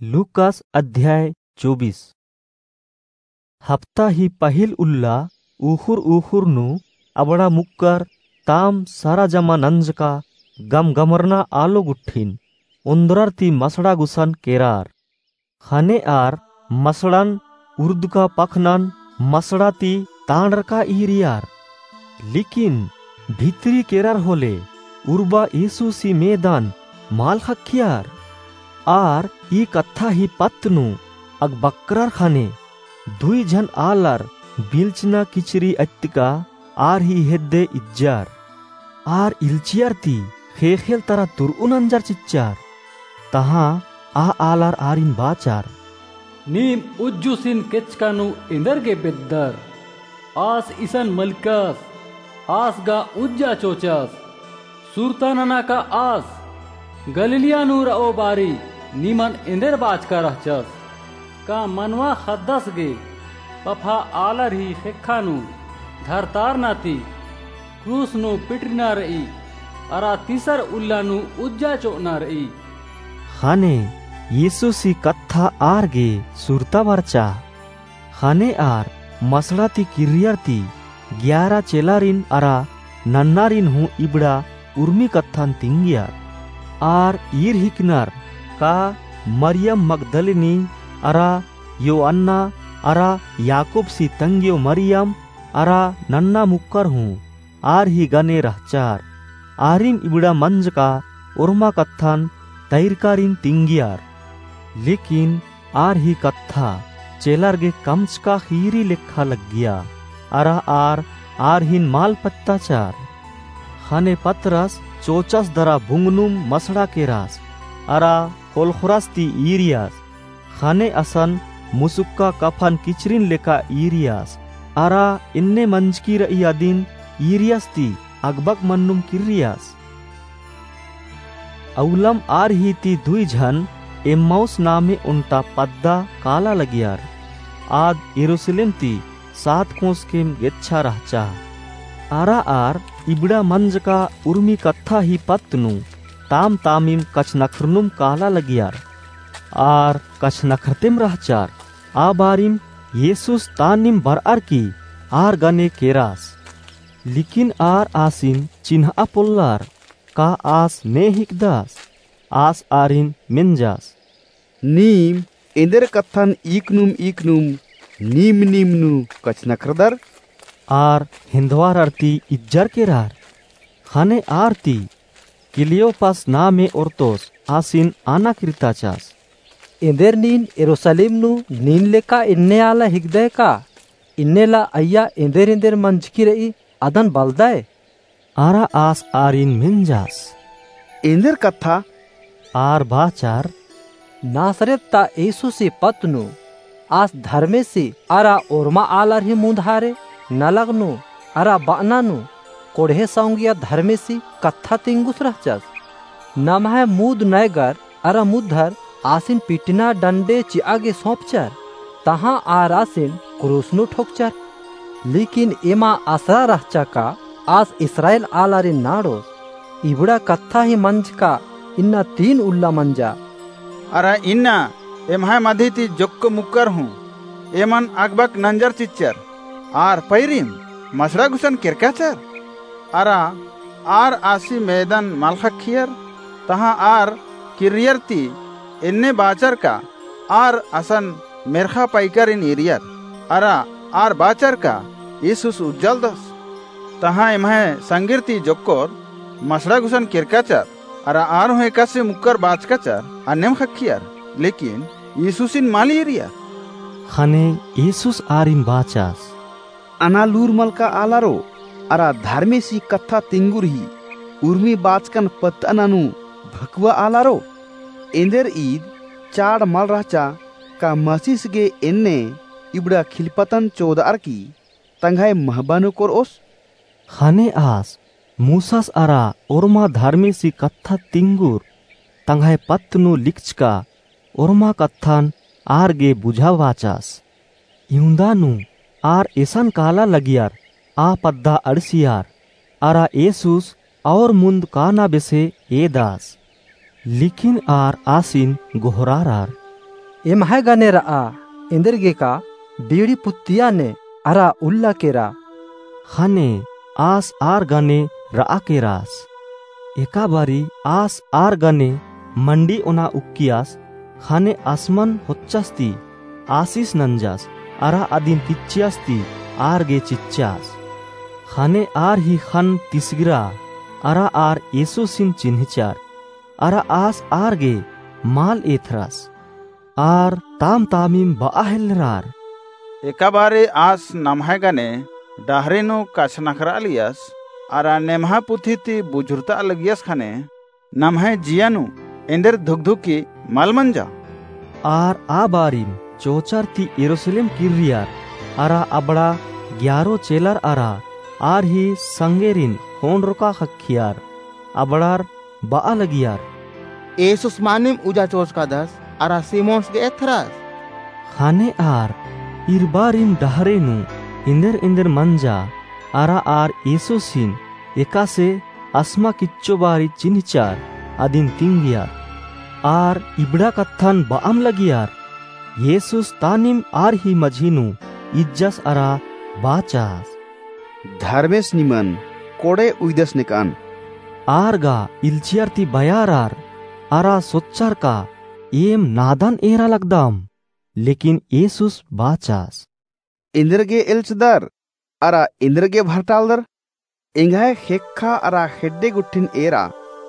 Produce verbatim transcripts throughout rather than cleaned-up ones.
लूकास अध्याय चौबीस। हफ्ता ही पहिल उल्ला उख़ुर उख़ुर नू अबड़ा मुक्कर ताम सरा जमा नंजका गमगमरना आलो गुट्ठिन ओन्द्रर ती मसड़ा गुसन केरार। ख़ने आर मसड़न उर्दका पखनन मसड़ा ती तांड़रका ईरियर। लेकिन भितरी केरर होले उर्बा यीशुसी मेदन मल ख़क्खियर। आर ई कत्था ही पत्त नू अगबक्करर ख़ने दुई झन आलर बिल्चना किचरी अत्तका आर ही हेद्दे इज्जर। आर इल्चियर ती ख़ेख़ेल तरा तुर'ऊ नंजर चिच्चर। तहाँ आ आलर आरिन बाचर। नीम उज्जुसिन केचका नू एन्देरगे बेद्दर? आस इसन मलकस, आस गा उज्जा चोचस। सुरता नना का आस गलीलिया नू र'ओ बारी निमन एन्देर बाचका रहचस? का मनवा ख़द्दस गे पफा आलर ही ख़ेक्खा नू धरतारना ती क्रूस नू पिटरना र'ई, अरा तीसर उल्ला नू उज्जा चो'अना र'ई? ख़ने यीशुसी कत्था आर गे सुरता बरचा। ख़ने आर मसड़ा ती किर्रियर ती ग्यारा चेलारिन अरा नन्नारिन हूँ इबड़ा उर्मी कत्थन तिंगियर। आर ईर हिकनर का मरियम मगदलिनी अरा योअन्ना अरा याकूबसी तंग्यो मरियम अरा नन्ना मुक्कर हूँ आर ही गने रहचर। आरिम इबड़ा मंजका ओर्मा कत्थन तैरकारिन तिंगियर। लेकिन आर ही कत्था चेलर गे कमचका ख़ीरी लेखा लग्गिया, अरा आर आर हिन मल पत्ताचर। ख़ने पतरस चोचस दरा बुंगनुम मसड़ा केरस, अरा ख़ोलख़ोरस ती ईरियस। ख़ने असन मुसुक्का कफन किचरिन लेखा ईरियस, अरा एन्ने मंजकी र'ई अदिन ईरियस ती अगबक मन्नुम किर्रियस। अउलम आर ही ती दुई झन एम्माउस नामे ओन्टा पद्दा काला लगियर। आद यरूसलेम ती सात कोस केम गेच्छा रहचा। अरा आर इबड़ा मंजका उर्मी कत्था ही पत्त नू ताम तामिम कछनखरनुम काला लगियर। आर कछनखरतेम रहचर। आ बारिम येसुस तानिम बरअर की आर गने केरस। लेकिन आर आसिन चिन्हआ पोल्लर, का आस ने हिकदस? आस आरिन मेंजस, नीम एन्देर कत्थन इकनुम इकनुम नीम नीम नू कछनखरदर? आर हेन्दवारर ती इज्जर केरर। ख़ने आर ती क्लियोपास नामे ओर्तोस आसिन आना किर्ताचस, एन्देर नीन यरूसलेम नू नीन लेका एन्ने आला हिकदय का? एन्ने ला अइय्या एन्देर एन्देर मंजकी र'ई अदन बलदय। अरा आस आरिन मेंजस, एन्देर कत्था? आर बाचर, नासरेत ता येसुसी पत्त नू आस धर्मेसी अरा ओर्मा आलर ही मुन्दहारे नलख नू अरा बअना नू कोड़हे सौंगिया धर्मेसी कत्था तिंगुस रहचस। नम्है मुद नैगर अरा मुद्दर आसिन पिटना डंडे चि'आ गे सौंपचर, तहाँ आर आसिन क्रूस नू ठोकचर। लेकिन एमा असरा रहचा का आस इस्राएल आलारिन नाड़ोस, इबड़ा कत्था ही मंजका इन्ना तीन उल्ला मंजा। अरा इन्ना एम्है मधी ती जोक्क मुक्कर हूँ एमन अगबक नंजर चिच्चर, आर पैरिम मसड़ा गुसन केरकाचर। अरा आर आसी मेदन मल ख़क्खियर, तहाँ आर किर्रियर ती एन्ने बाचर का आर असन मेर्ख़ा पैकारिन ईरियर, अरा आर बाचर का येसुस उज्जालदस। तहाँ एम्है संगिर ती जोक्कोर मसड़ा गुसन केरकाचर, अरा आर हूँ एकासे मुक्कर बाचकाचर अन्नेम ख़क्खियर, लेकिन येसुसिन मल ईरियर। ख़ने येसुस आरिन बाचस, अनालूर मलका आलारो, अरा धर्मेसी कत्था तिंगुर ही उर्मी बाचकन पत्तअना नू भकुआ आलारो, एन्देर ईद चाड़ मल रहचा का मसीस गे एन्ने इबड़ा खिलपतन चोदअर की तंग्है महबा नू कोरओस? ख़ने आस मूसस अरा ओर्मा धर्मेसी कत्था तिंगुर तंग्है पत्त नू लिखचका ओर्मा कत्थन आर गे बुझाबाचस। इवंदा नू आर एसन काला लगियर आ पद्दा अंड़सियर, अरा येसुस और मुन्द काना बेसे एदस। लेकिन आर आसिन गोहरारर, एम्है गने र'आ, एन्देरगेका बीड़ी पुत्तिया ने अरा उल्ला केरा। ख़ने आस आर गने र'आ केरास। एका बारी आस आर गने मंडी ओना उक्कियास, ख़ने आसमन होच्चस ती आसिस नंजस, अरा अदिन किच्चियस ती आर गे चिच्चास। ख़ने आर ही ख़न्न तिसगिरा, अरा आर येसुसिन चिन्हचर, अरा आस आर गे मल एथरस। आर ताम-तामिम ब'आ हेलरर। एका बारी आस नम्है गने डहरे नू कछनखर'आ लगियस, अरा नेम्हा पुथी ती बुझुरत'आ लगियस ख़ने, नम्है जिया नू एन्देर धुकधुकी मल मंजा। आर आ बारिम चोचर ती यरूसलेम किर्रियर, अरा अबड़ा ग्यारो चेलर अरा आर ही संगेरिन ख़ोंड़रका ख़क्खियर। अबड़ार ब'आ लगियर। येसुस मानिम उज्जा चोचकादस, अरा सिमोनस गे एथरस। ख़ने आर इरबारिम डहरे नू एन्देर-एन्देर मंजा, अरा आर येसुसिन एकासे असमा किच्चो बारी चिन्हचर अदिन तिंगियर। आर इबड़ा कत्थन ब'अम लगियर। येसुस तानिम आर ही मझी नू इज्जस अरा बाचस। धर्मेस निमन कोड़े उइदस नेक'अन। आर गा इल्चियर ती बयारर, अरा सोच्चर का एम नादन एरा लगदम। लेकिन येसुस बाचस। एन्देरगे एल्चदर, अरा एन्देरगे भरटालदर। एंग्है ख़ेक्खा अरा ख़ेड्डे गुट्ठिन एरा,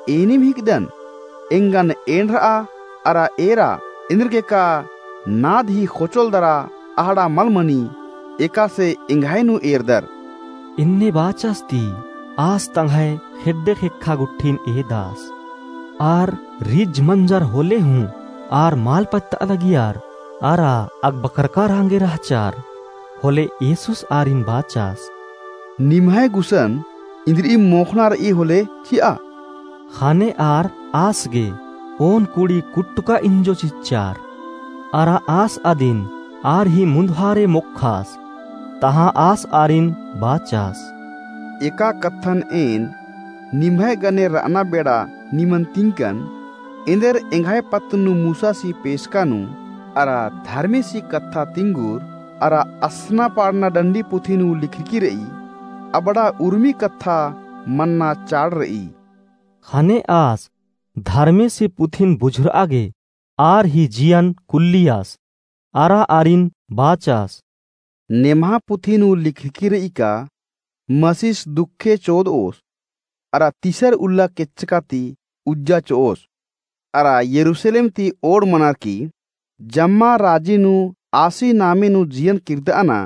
एनिम हिकदन। एंगन एंड़र'आ अरा एरा, एन्देरगेका नाद ही ख़ोचोल दरा अहड़ा मल मनी, एकासे एंग्है नू एरदर। एन्ने बाचस ती आस तंग्है ख़ेड्डे ख़ेक्खा गुट्ठिन एदस। आर रिझ मंजर होले हूँ आर मल पत्त'आ लगियर, अरा अकबकरका रंगे रहचर। होले येसुस आरिन बाचस। निम्है गुसन इन्द्रिइम मोख़ना र'ई होले चि'आ। ख़ने आर आस गे ओन कुड़ी कुट्टका इंजो चिच्चर। अरा आस अदिन आर ही मुन्दहारे मोख़स। तहाँ आस आरिन बाचस। एका कत्थन एन निम्है गने र'अना बेड़ा निमन तिंकन, एन्देर एंग्है पत्त नू मूसासी पेसका नू, अरा धर्मेसी कत्था तिंगुर, अरा असना पाड़ना डंडी पुथी नू लिखरकी र'ई, अबड़ा उर्मी कत्था मन्ना चाड़ र'ई। ख़ने आस धर्मेसी पुथिन बुझुर'आ गे आर ही जियन कुल्लियस, अरा आरिन बाचस। नेम्हा पुथी नू लिखरकी र'ई का, मसीस दुखे चोद'ओस, अरा तीसर उल्ला केच्चका ती उज्जा चो'ओस, अरा यरूसलेम ती ओड़ मनर की, जम्मा राजी नू आसी नामे नू जियन किर्द'अना,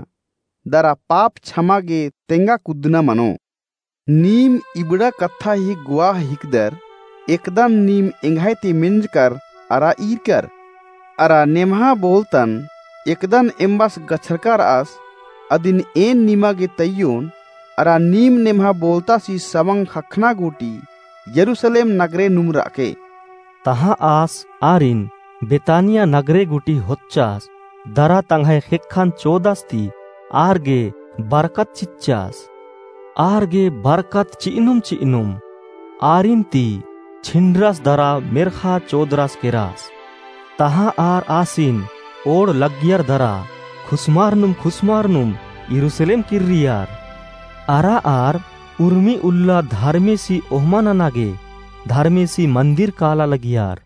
दरा पाप छमा गे तेंगा कुद्दना मनो। नीम इबड़ा कत्था ही गुआह हिकदर, एकदन नीम एंग्है ती मेंजकर अरा ईरकर। अरा नेम्हा बोलतन एकदन एम्बस गछरका र'अस, अदिन एन निमा गे तइयोन, अरा नीम नेम्हा बोलतासी सवंग ख़क्खना गूटी यरूसलेम नगरे नुम र'अके। तहाँ आस आरिन बेतानिया नगरे गूटी होच्चस, दरा तंग्है ख़ेक्खन चोदस ती आर गे बरकत चिच्चस। आर गे बरकत चि'अनुम चि'अनुम आरिन ती छिंड़रस दरा मेर्ख़ा चोदरस केरस। तहाँ आर आसिन ओड़ लग्गियर दरा खुसमारनुम खुसमारनुम यरूसलेम किर्रियर। अरा आर उर्मी उल्ला धर्मेसी ओहमा नना गे धर्मेसी मन्दिर काला लगियर।